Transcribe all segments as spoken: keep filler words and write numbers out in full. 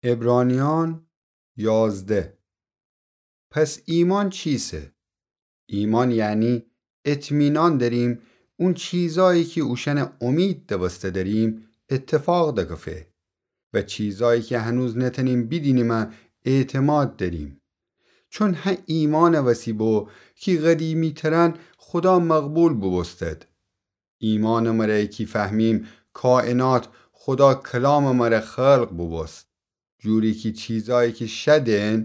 عبرانیان یازده. پس ایمأن چیسه؟ ایمأن یعنی اطمینان دأریم اون چیزایی کی اوشأنٚ امید دوسته دأریم اتفاق دکفه و چیزایی کی هنوز نتأنیم بیدینیمه اعتماد دأریم. چون هه ایمأنٚ وسی بو کی قدیمی‌ترأن خودا مقبول بوبوستد. ایمأنٚ مره کی فهمیم کائنات خودا کلامٚ مره خلق بوبوست. جوری کی چیزایی کی شدن،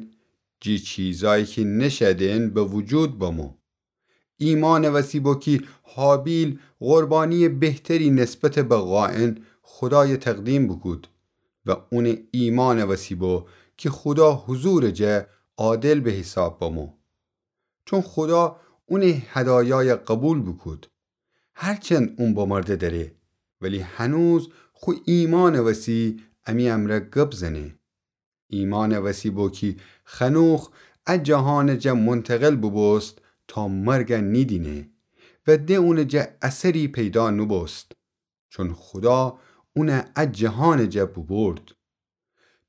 جی چیزایی کی نشدن به وجود بمو. ایمأنٚ وسی بو کی هابیل قربانیٚ بهتری نسبت به قائن خودای تقدیم بوکود و اونٚ ایمأنٚ وسی بو کی خودا حضورٚ جا عادل به حیساب بمو. چون خودا اونٚ هدایای قبول بوکود. هرچند اون بمرده دأره، ولی هنوز خو ایمأنٚ وسی امی امرأ گب زنه. ایمأنٚ وسی بو کی خنوخ ا جهانٚ جا منتقل بوبوست تا مرگ نیدینه و ده اونٚ جا اثری پیدا نوبوست. چون خودا اون ا جهانٚ جا بوبرد.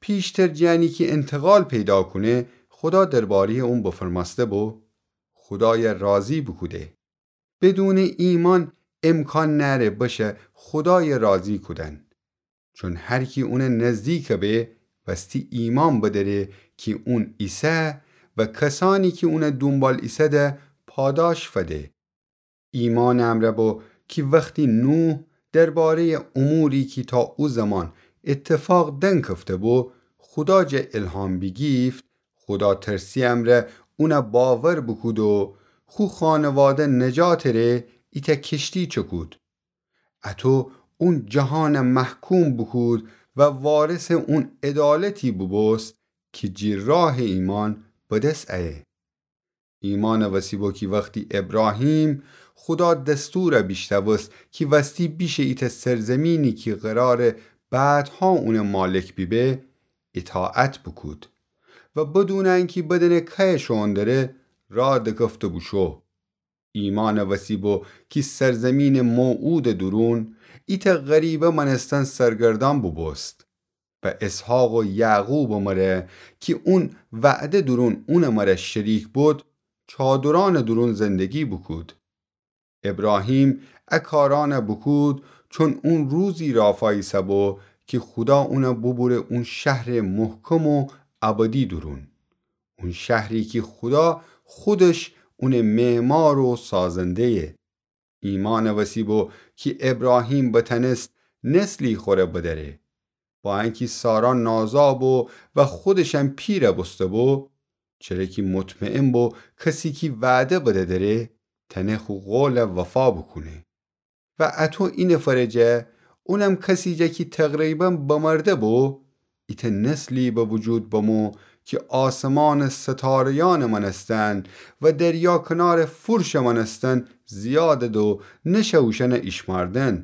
پیشتر جٚه انه کی انتقال پیدا کونه، خودا درباره‌یٚ اون بفرمأسته بو، خودای راضی بوکوده. بدونٚ ایمأن امکان نأره بشه خودای راضی کودن. چون هر کی اون نزدیک به، وستی ایمأن بدأره کی اون ایسه و کسأنی کی اون دونبال ایسه‌ده پاداش فده. ایمأنٚ امرأ بو کی وختی نوح درباره‌یٚ اموری کی تا او زمان اتفاق دنکفته بو، خودا جا الهام بیگیفت، خوداترسی‌یٚ امرأ اون باور بوکود و خو خانواده نجاتٚ ره ایتأ کشتی چکود. اطو اون جهان محکوم بوکود و وارثٚ اون عدالتی بوبوست کی جی راهٚ ایمأن بدس ایه. ایمأنٚ وسی بو کی وختی ابراهیم خودا دستور بیشنوست کی وستی بیشه ایتأ سرزمینی کی قراره بعدها اون مالک بیبه، اطاعت بوکود و بدون انکی بدأنه کیه شوئون دره، راه دکفته بوشو. ایمأنٚ وسی بو کی سرزمینٚ موعودٚ دورون ایتأ غریبه مأنستن سرگردأن بوبوست و اسحاق و یعقوبٚ مره کی اون وعده دورون اونٚ مره شریک بود، چادرأنٚ دورون زندگی بوکود. ابراهیم ا کارأن بوکود چون اون روزی رافاییسه‌بو کی خودا اون بوبوره اون شهرٚ محکم و ابدی دورون. اون شهری کی خودا خودش اونٚ معمار و سازنده‌یه. ایمأنٚ وسی بو کی ابراهیم بتأنست نسلی خوره بدأره. با انکی سارا نازا بو و خودشم پیره بوسته‌بو، چره کی مطمئن بو کسی کی وعده بده دره، تأنه خو قول وفا بوکونه. و اطو اینفرٚ جا، اونم کسی جا کی تقریبا بمرده بو، ایتأ نسلی به وجود بمو کی آسمانٚ ستاره‌یأنٚ مأنستن و دریا کنارٚ فرشٚ مأنستن زیادد و نشه اوشأن ایشمأردن.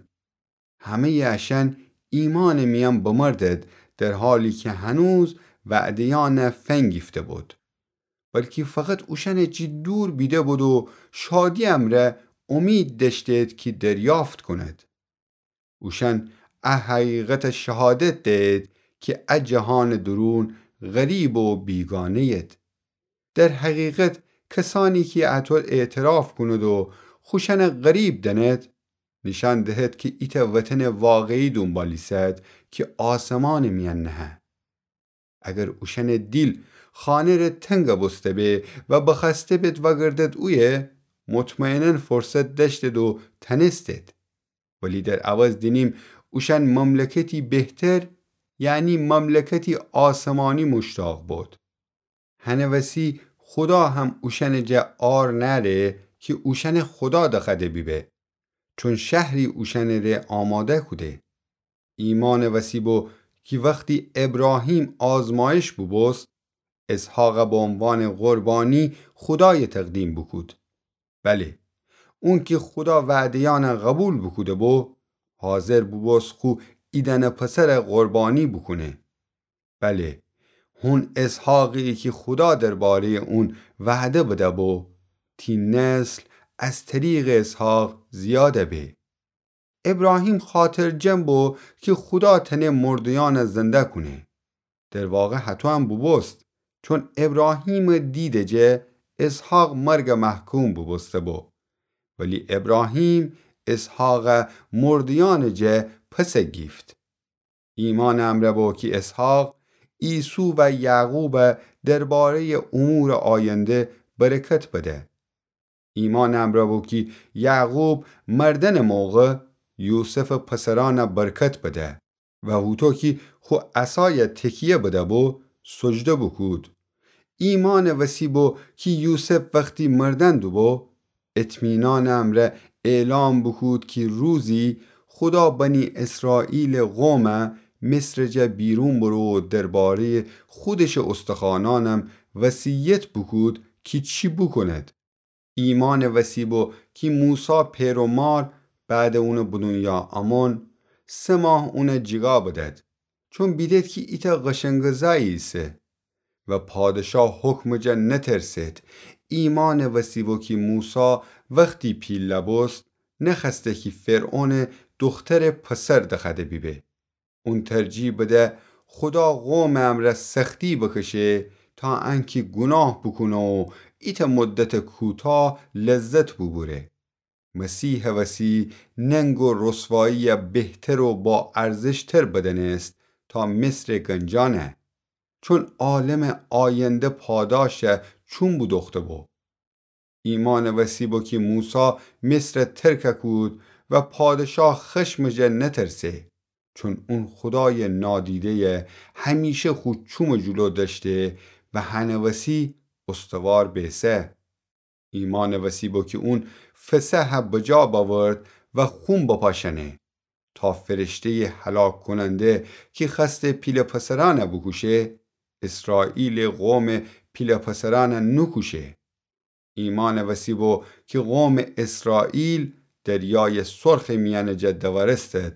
همه‌یٚ اشأن ایمأنٚ میأن بمردد، در حالی کی هنوز وعده‌یأن فنگیفته بود. بلکی فقط اوشأن جی دور بیده بود و شادی امرأ امید دأشتید کی دریافت کونید. اوشأن ا حقیقت شهادت دهید کی ا جهانٚ دورون غریب و بیگانه‌ید. در حقیقت کسأنی کی اطو اعتراف کونید و خوشأن غریب دأنید، نیشأن دهید کی ایتأ وطنٚ واقعی دونبال ایسد کی آسمانٚ میأن نهه. اگر اوشأنٚ دیل خانه ره تنگ بوسته به و بخوأسته بید وأگردد اویه، مطمئنا فرصت دأشتید و تأنستید. ولی در عوض دینیم اوشأن مملکتی بهتر، یعنی مملکتی آسمانی مشتاق بود. هنٚ وسی خودا هم اوشأنٚ جا عار نأره کی اوشأن خودا دخوأده بیبه، چون شهری اوشأنٚ ره آماده کوده. ایمأنٚ وسی بو کی وختی ابراهیم آزمایش بوبوست، اسحاق به عنوانٚ قربانی خودای تقدیم بوکود. بله، اونکی خودا وعده‌یأن قبول بوکوده بو، حاضر بوبوست خو ایدأنه پسر قربانی بوکونه. بله، هون اسحاقی کی خودا درباره‌یٚ اون وعده بده بو، تی نسل از طریقٚ اسحاق زیاد به. ابراهیم خاطرجم بو کی خودا تأنه مرده‌یأن زنده کونه. در واقع هطو هم بوبوست، چون ابراهیمٚ دیدٚ جه اسحاق مرگٚ محکوم بوبوسته‌بو. ولی ابراهیم اسحاقَ مرده‌یأنٚ جه پس گیفت. ایمأنٚ امرأ بو کی اسحاق، عیسو و یعقوبَ درباره‌یٚ امورٚ آینده برکت بده. ایمأنٚ امرأ بو کی یعقوب مردنٚ موقع یوسفٚ پسرأنَ برکت بده و هوطو کی خو عصایَ تکیه بده‌بو، سجده بوکود. ایمأنٚ وسی بو کی یوسف وختی مردن دوبو، اطمینانٚ امرأ اعلام بوکود کی روزی خودا بنی اسرائیلٚ قومَ مصرٚ جا بیرون برو و درباره‌یٚ خودشٚ استخوأنأنم وصیت بوکود کی چی بوکوند. ایمأنٚ وسی بو کی موسی پئر و مار بعدٚ اونٚ بدونیا امون سه ماه اونَ جیگا بدد، چون بیدد کی ایتأ قشنگٚ زأیی ایسه. و پادشاه حکمٚ جا نترسد. ایمأنٚ وسی بو کی موسی وختی پیله بوست، نخوأسته کی فرعونٚ دوخترٚ پسر دخوأده بیبه. اون ترجیح بده خودا قومٚ امرأ سختی بکشه تا انکی گوناه بوکونه و ایتأ مدتٚ کوتاه لذت بوبوره. مسیحٚ وسی ننگ و رسواییَ بهتر و با ارزشتر بدأنست تا مصرٚ گنجأنَ، چون عالمٚ آینده پاداشَ چوم بودوخته بو. ایمأنٚ وسی بو کی موسی مصرَ ترکَ کود و پادشاه خشمٚ جا نترسه، چون اون خودایٚ نادیده‌یَ همیشه خو چومٚ جلو دأشته و هنٚ وسی استوار بیسه. ایمأنٚ وسی بو کی اون فصحَ بجا بأورد و خون بپاشأنه، تا فرشته‌یٚ هلاک‌کننده کی خوأسته پیله پسرأنَ بوکوشه، اسرائیلٚ قومٚ پیله پسرأنَ نوکوشه. ایمأنٚ وسی بو کی قومٚ اسرائیل دریایٚ سرخٚ میأنٚ جا دورستد،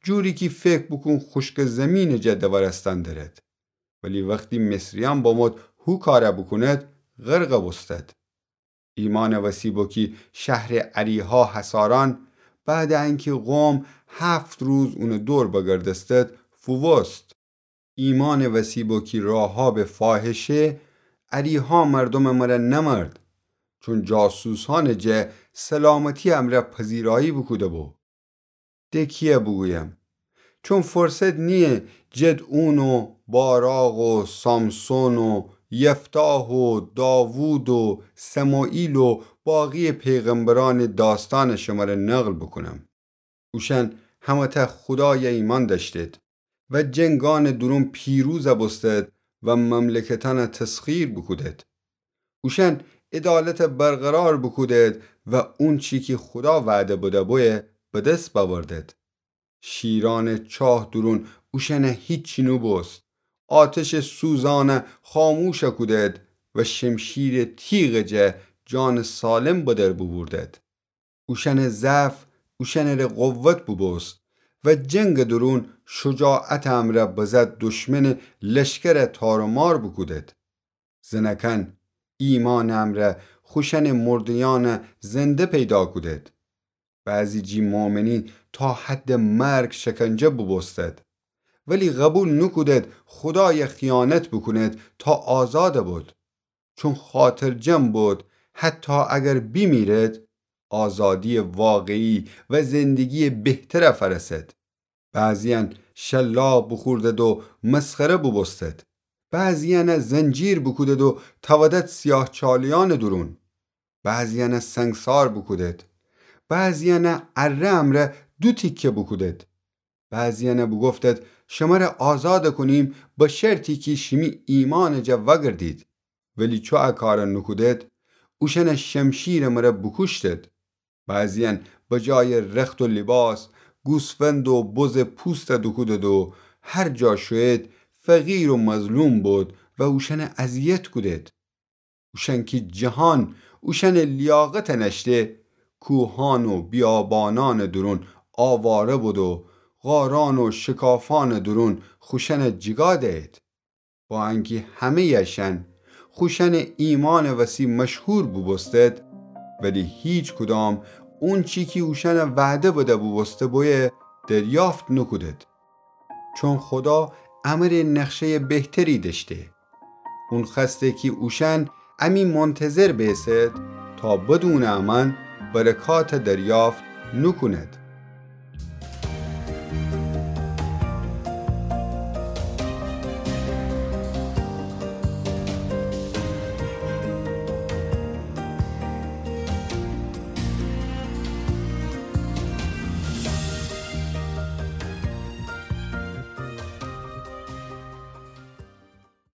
جوری کی فکر بوکون خوشکٚ زیمینٚ جا دورستن درد. ولی وختی مصریأن بمود هو کارَ بوکوند، غرقَ بوستد. ایمأنٚ وسی بو کی شهرٚ اریحا حصارأن، بعدٚ انکی قوم هفت روز اونٚ دور بگردستد، فووست. ایمأنٚ وسی بو کی راحابٚ فاحشه اریحا مردومٚ مره نمرد، چون جاسوسأنٚ جا سلامتیٚ امرأ پذیرایی بوکوده‌بو. ده کیه بوگویم؟ چون فرصت نییه جدعون و باراق و سامسون و یفتاح و داوود و سموئیل و باقیٚ پیغمبرأنٚ داستأنَ شمره نقل بوکونم. اوشأن همه‌تأ خودایَ ایمأن دأشتید و جنگأنٚ دورون پیروزَ بوستید و مملکتأنَ تسخیر بوکودید. اوشأن عدالتَ برقرار بوکودید و اونچی کی خودا وعده بده‌بویه بدس بأوردید. شیرأنٚ چاه دورون اوشأنَ هیچی نوبوست. آتشٚ سوزأنَ خاموشَ کودید و شمشیرٚ تیغٚ جا جانٚ سالم بدر بوبوردید. اوشأنٚ ضعف اوشأنٚره قوت بوبوست و جنگٚ دورون شجاعتٚ امرأ بزد دشمنٚ لشکرَ تار و مار بوکودید. زنأکأن ایمأنٚ امرأ خوشأنٚ مرده‌یأنَ زنده پیدا کودید. بعضی جی مؤمنی تا حدٚ مرگ شکنجه بوبوستید، ولی قوبیل نوکودید خودایَ خیانت بوکونید تا آزادَ بید. چون خاطرجم بید حتی اگر بیمیرید، آزادیٚ واقعی و زندگیٚ بهترَ فأرسید. بعضیأن شلاق بوخوردید و مسخره بوبوستید. بعضیأنَ زنجیر بوکودید و تأودید سیاهچالیأنٚ دورون. بعضیأنَ سنگسار بوکودید. بعضیأنَ اره‌یٚ امرأ دو تیکه بوکودید. بعضیأنَ بوگفتید شمره آزادَ کونیم به شرطی کی شیمی ایمأنٚ جا وأگردید. ولی چو ا کارَ نوکودید، اوشأنَ شمشیرٚ مره بوکوشتید. بعضیأن به جایٚ رخت و لیباس، گوسفند و بزٚ پوستَ دوکودید و هر جا شویید فقیر و مظلوم بید و اوشأنَ اذیت کودید. اوشأن کی جهان اوشأنٚ لیاقتَ نأشته، کوهأن و بیابانأنٚ دورون آواره بید و غارأن و شکافأنٚ دورون خوشأنَ جیگا دیید. با انکی همه‌یٚ اشأن خوشأنٚ ایمأنٚ وسی مشهور بوبوستید، ولی هیکدام اونچی کی اوشأنَ وعده بده بوبوسته بویه دریافت نوکودید. چون خودا امره نقشه‌یٚ بهتری دأشته. اون خوأسته کی اوشأن امی منتظر بیسد تا بدونٚ امأن برکات دریافت نوکوند.